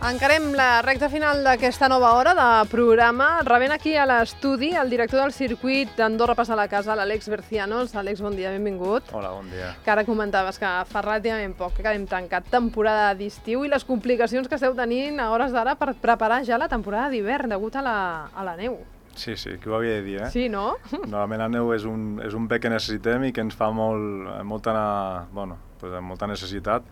Encarem la recta final d'aquesta nova hora de programa. Rebent aquí a l'estudi el director del circuit d'Andorra Passa la Casa, l'Àlex Bercianos. Àlex, bon dia, benvingut. Hola, bon dia. Que ara comentaves que fa relativament poc que hem tancat temporada d'estiu i les complicacions que esteu tenint a hores d'ara per preparar ja la temporada d'hivern degut a la neu. Sí, qui ho havia de dir, eh? Sí, no? Normalment la neu és un bé que necessitem i que ens fa molta necessitat,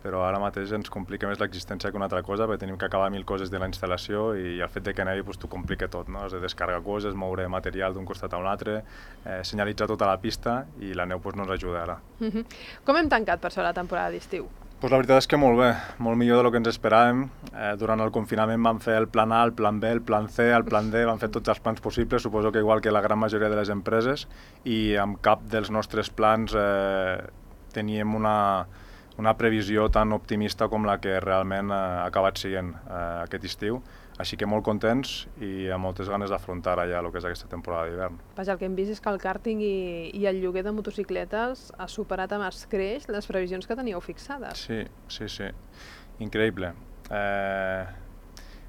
però ara mateix ens complica més l'existència que una altra cosa, perquè tenim que acabar 1000 coses de la instal·lació i el fet de que nevi t'ho complica tot, no? Has de descarregar coses, moure material d'un costat a un altre, senyalitzar tota la pista i la neu no ens ajuda ara. Com hem tancat per això la temporada d'estiu? La veritat és que molt bé, molt millor del que ens esperàvem. Durant el confinament vam fer el plan A, el plan B, el plan C, el plan D, vam fer tots els plans possibles, suposo que igual que la gran majoria de les empreses, i amb cap dels nostres plans teníem una previsió tan optimista com la que realment ha acabat sent aquest estiu. Així que molt contents i amb moltes ganes d'afrontar ja el que és aquesta temporada d'hivern. Vaja, el que hem vist és que el càrting i el lloguer de motocicletes ha superat amb escreix les previsions que teníeu fixades. Sí. Increïble.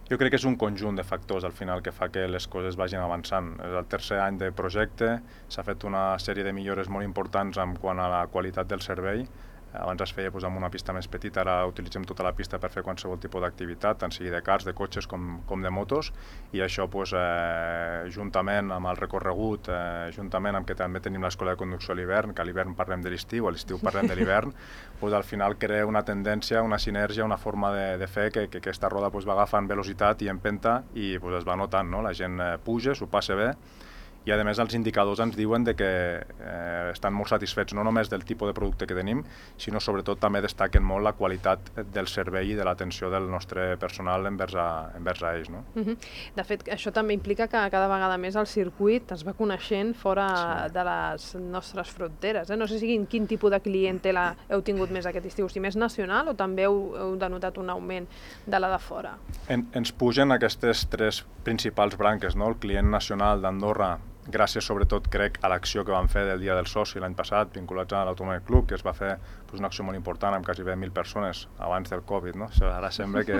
Jo crec que és un conjunt de factors al final que fa que les coses vagin avançant. És el tercer any de projecte, s'ha fet una sèrie de millores molt importants en quant a la qualitat del servei. Abans es feia amb una pista més petita, ara utilitzem tota la pista per fer qualsevol tipus d'activitat, tant sigui de cars, de cotxes com de motos, i això juntament amb el recorregut, juntament amb que també tenim l'escola de conducció a l'hivern, que a l'hivern parlem de l'estiu, a l'estiu parlem de l'hivern, al final crea una tendència, una sinergia, una forma de fer que aquesta roda va agafant velocitat i empenta i es va notant, no? La gent puja, s'ho passa bé, i a més els indicadors ens diuen que estan molt satisfets no només del tipus de producte que tenim, sinó sobretot també destaquen molt la qualitat del servei i de l'atenció del nostre personal envers a ells. No? De fet, això també implica que cada vegada més el circuit es va coneixent fora de les nostres fronteres. No sé quin tipus de clientela heu tingut més aquest estiu, si més nacional o també heu denotat un augment de la de fora? Ens pugen aquestes tres principals branques, no? El client nacional d'Andorra, gràcies sobretot crec a l'acció que vam fer del Dia del Soci l'any passat, vinculats a l'Automòbil Club, que es va fer una acció molt important amb quasi 1.000 persones abans del Covid. No? Ara sembla que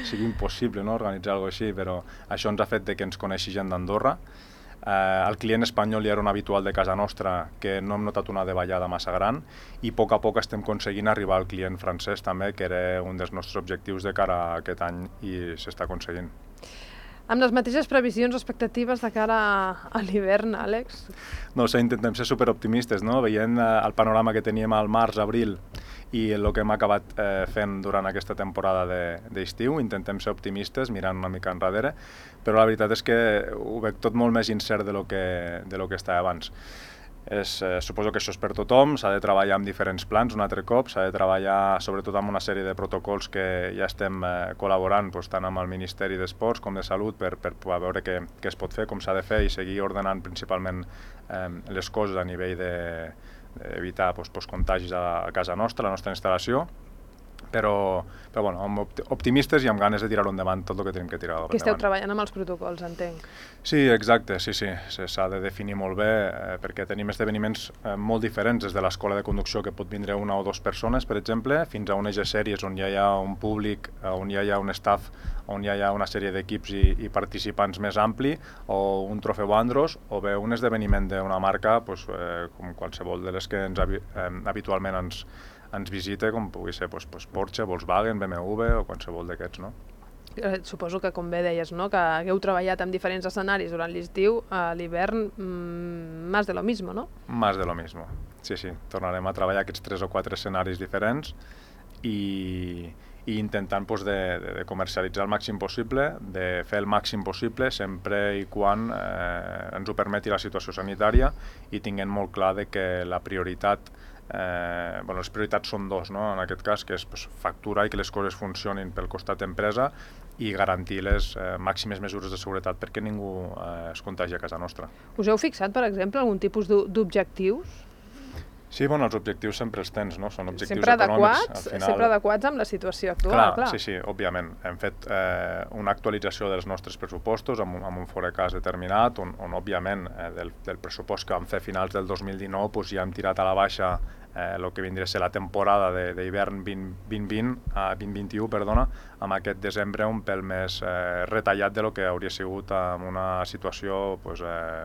sigui impossible organitzar alguna cosa així, però això ens ha fet que ens coneixi gent d'Andorra. El client espanyol ja era un habitual de casa nostra, que no hem notat una davallada massa gran, i a poc estem aconseguint arribar al client francès també, que era un dels nostres objectius de cara a aquest any i s'està aconseguint. Amb les mateixes previsions o expectatives de cara a l'hivern, Àlex? No sé, intentem ser superoptimistes, no? Veient el panorama que teníem al març, abril i el que hem acabat fent durant aquesta temporada d'estiu, intentem ser optimistes, mirant una mica enrere, però la veritat és que ho veig tot molt més incert de lo que estava abans. Suposo que això és per tothom, s'ha de treballar amb diferents plans un altre cop, s'ha de treballar sobretot amb una sèrie de protocols que ja estem col·laborant tant amb el Ministeri d'Esports com de Salut per veure què es pot fer, com s'ha de fer i seguir ordenant principalment les coses a nivell d'evitar contagis a casa nostra, a la nostra instal·lació. Però optimistes i amb ganes de tirar-ho endavant tot el que tenim que tirar endavant. Que esteu treballant amb els protocols, entenc. Sí, exacte, sí. S'ha de definir molt bé perquè tenim esdeveniments molt diferents, des de l'escola de conducció que pot vindre una o dues persones, per exemple, fins a unes sèries on ja hi ha un públic, on ja hi ha un staff, on ja hi ha una sèrie d'equips i participants més ampli, o un trofeu Andros, o bé un esdeveniment d'una marca com qualsevol de les que habitualment ens visita, com pugui ser Porsche, Volkswagen, BMW o qualsevol d'aquests, no? Suposo que, com bé deies, que heu treballat en diferents escenaris durant l'estiu, a l'hivern, más de lo mismo, no? Más de lo mismo, sí. Tornarem a treballar aquests 3 o 4 escenaris diferents i intentant de comercialitzar el màxim possible, de fer el màxim possible sempre i quan ens ho permeti la situació sanitària i tinguem molt clar que la prioritat les prioritats són dos, no? En aquest cas, que és facturar i que les coses funcionin pel costat d'empresa i garantir les màximes mesures de seguretat perquè ningú es contagi a casa nostra. Us heu fixat, per exemple, algun tipus d'objectius? Sí, bueno, els objectius sempre els tens, no? Són objectius sempre econòmics. Sempre adequats amb la situació actual, clar. Sí, òbviament. Hem fet una actualització dels nostres pressupostos amb un forecast determinat, on òbviament, del pressupost que vam fer a finals del 2019, doncs ja hem tirat a la baixa el que vindria a ser la temporada d'hivern 2021, amb aquest desembre un pèl més retallat de lo que hauria sigut en una situació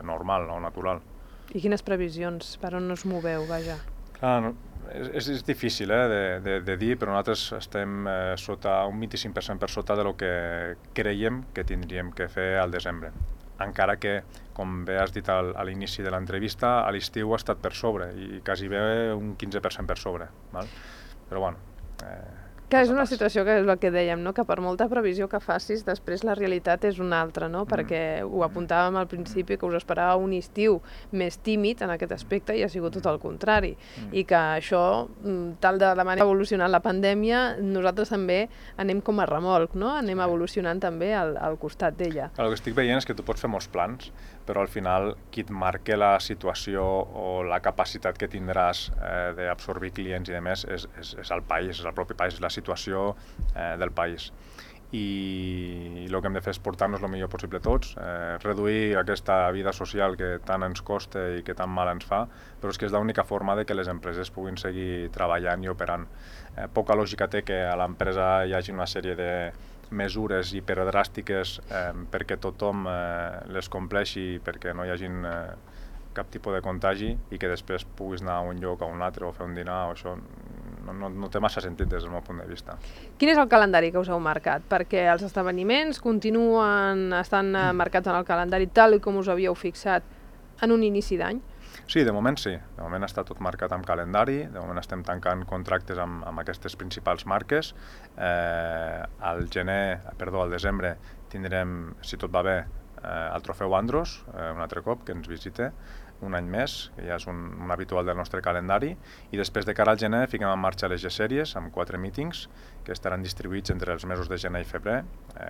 normal o natural. I quines previsions? Per on us moveu, vaja? Clar, és difícil de dir, però nosaltres estem un 25% per sota de lo que creiem que tindríem que fer al desembre. Encara que, com bé has dit a l'inici de l'entrevista, a l'estiu ha estat per sobre i quasi bé un 15% per sobre. Però bueno... Que és una situació que és el que dèiem, no? Que per molta previsió que facis, després la realitat és una altra, no? Perquè ho apuntàvem al principi, que us esperava un estiu més tímid en aquest aspecte i ha sigut tot el contrari. I que això, tal de la manera que ha evolucionat la pandèmia, nosaltres també anem com a remolc, no? Anem evolucionant també al costat d'ella. El que estic veient és que tu pots fer molts plans, però al final qui et marca la situació o la capacitat que tindràs d'absorbir clients i demés és el país, és el propi país, és la situació del país. I el que hem de fer és portar-nos el millor possible tots, reduir aquesta vida social que tant ens costa i que tan mal ens fa, però és que és l'única forma de que les empreses puguin seguir treballant i operant. Poca lògica té que a l'empresa hi hagi una sèrie de mesures hiperdràstiques perquè tothom les compleixi, perquè no hi hagi cap tipus de contagi i que després puguis anar a un lloc o a un altre o fer un dinar o això no té massa sentit des del meu punt de vista. Quin és el calendari que us heu marcat? Perquè els esdeveniments estan marcats en el calendari tal com us havíeu fixat en un inici d'any? Sí, de moment sí. De moment està tot marcat amb calendari, de moment estem tancant contractes amb aquestes principals marques. Al desembre tindrem, si tot va bé, el trofeu Andros, un altre cop, que ens visite un any més, que ja és un habitual del nostre calendari, i després de cara al gener fiquem en marxa les G-Series amb 4 mítings que estaran distribuïts entre els mesos de gener i febrer,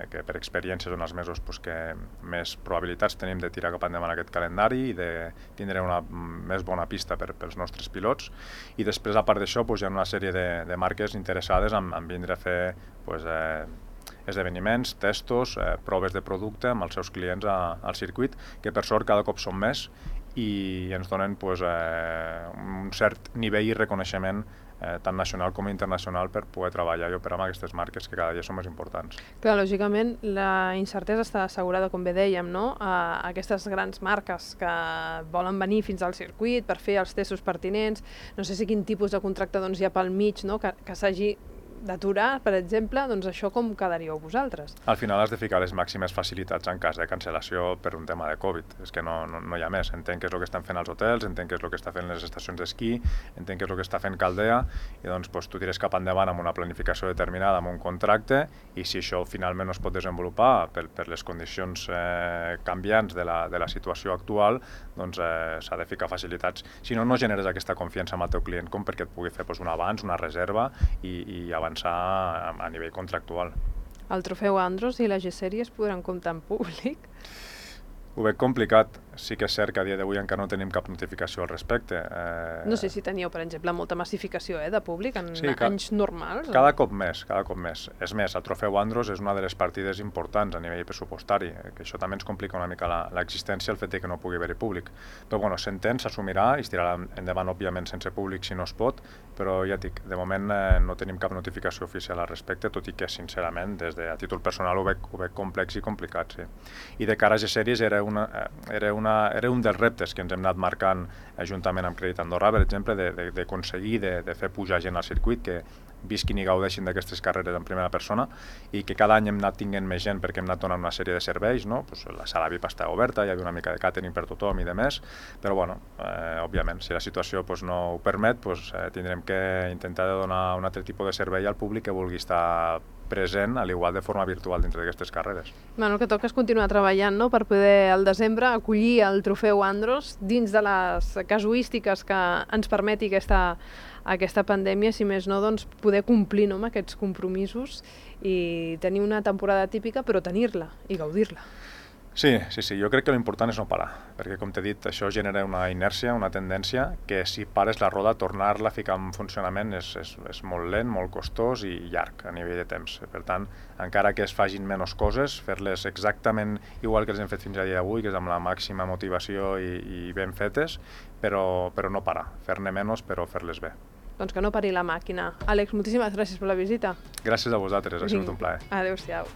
que per experiència són els mesos que més probabilitats tenim de tirar cap endavant aquest calendari i de tindre una més bona pista pels nostres pilots. I després, a part d'això, hi ha una sèrie de marques interessades en vindre a fer esdeveniments, testos, proves de producte amb els seus clients al circuit, que per sort cada cop són més i ens donen un cert nivell i reconeixement tant nacional com internacional per poder treballar i operar amb aquestes marques que cada dia són més importants. Clar, lògicament la incertesa està assegurada, com bé dèiem, no? Aquestes grans marques que volen venir fins al circuit per fer els testos pertinents, no sé si quin tipus de contracte hi ha pel mig, no? Que s'hagi d'aturar, per exemple, doncs això com quedaríeu vosaltres? Al final has de ficar les màximes facilitats en cas de cancel·lació per un tema de Covid. És que no hi ha més. Entenc què és el que estan fent els hotels, entenc què és el que està fent les estacions d'esquí, entenc què és el que està fent Caldea, i doncs tu tires cap endavant amb una planificació determinada, amb un contracte, i si això finalment no es pot desenvolupar per les condicions canviants de la situació actual, doncs s'ha de ficar facilitats. Si no, no generes aquesta confiança amb el teu client com perquè et pugui fer un avanç, una reserva i avançar a nivell contractual. El trofeu Andros i la G-Series podran comptar en públic? Ho veig complicat. Sí que és cert que a dia d'avui encara no tenim cap notificació al respecte. No sé si teníeu, per exemple, molta massificació de públic en anys normals. Cada cop més. És més, el trofeu Andros és una de les partides importants a nivell pressupostari, que això també ens complica una mica l'existència, el fet que no pugui haver-hi públic. Però bueno, s'entén, s'assumirà i es tirarà endavant, òbviament, sense públic si no es pot, però ja dic, de moment no tenim cap notificació oficial al respecte, tot i que, sincerament, a títol personal ho veig complex i complicat, sí. I de cara a G-Series era un dels reptes que ens hem anat marcant juntament amb Crèdit Andorra, per exemple, d'aconseguir de fer pujar gent al circuit, que visquin i gaudeixin d'aquestes carreres en primera persona i que cada any hem anat tinguent més gent perquè hem anat donant una sèrie de serveis, no? La sala VIP està oberta, hi havia una mica de càtering per tothom i de més, però bueno, òbviament, si la situació no ho permet, tindrem que intentar donar un altre tipus de servei al públic que vulgui estar present, al igual de forma virtual dintre d'aquestes carreres. El que toca és continuar treballant, no?, per poder al desembre acollir el trofeu Andros dins de les casuístiques que ens permeti aquesta pandèmia, si més no, doncs poder complir amb aquests compromisos i tenir una temporada típica, però tenir-la i gaudir-la. Sí, jo crec que l'important és no parar, perquè com t'he dit, això genera una inèrcia, una tendència, que si pares la roda, tornar-la a ficar en funcionament és molt lent, molt costós i llarg a nivell de temps. Per tant, encara que es facin menys coses, fer-les exactament igual que les hem fet fins a dia d'avui, que és amb la màxima motivació i ben fetes, però no parar, fer-ne menys però fer-les bé. Doncs que no pari la màquina. Àlex, moltíssimes gràcies per la visita. Gràcies a vosaltres, ha sigut un plaer. Adéu-siau.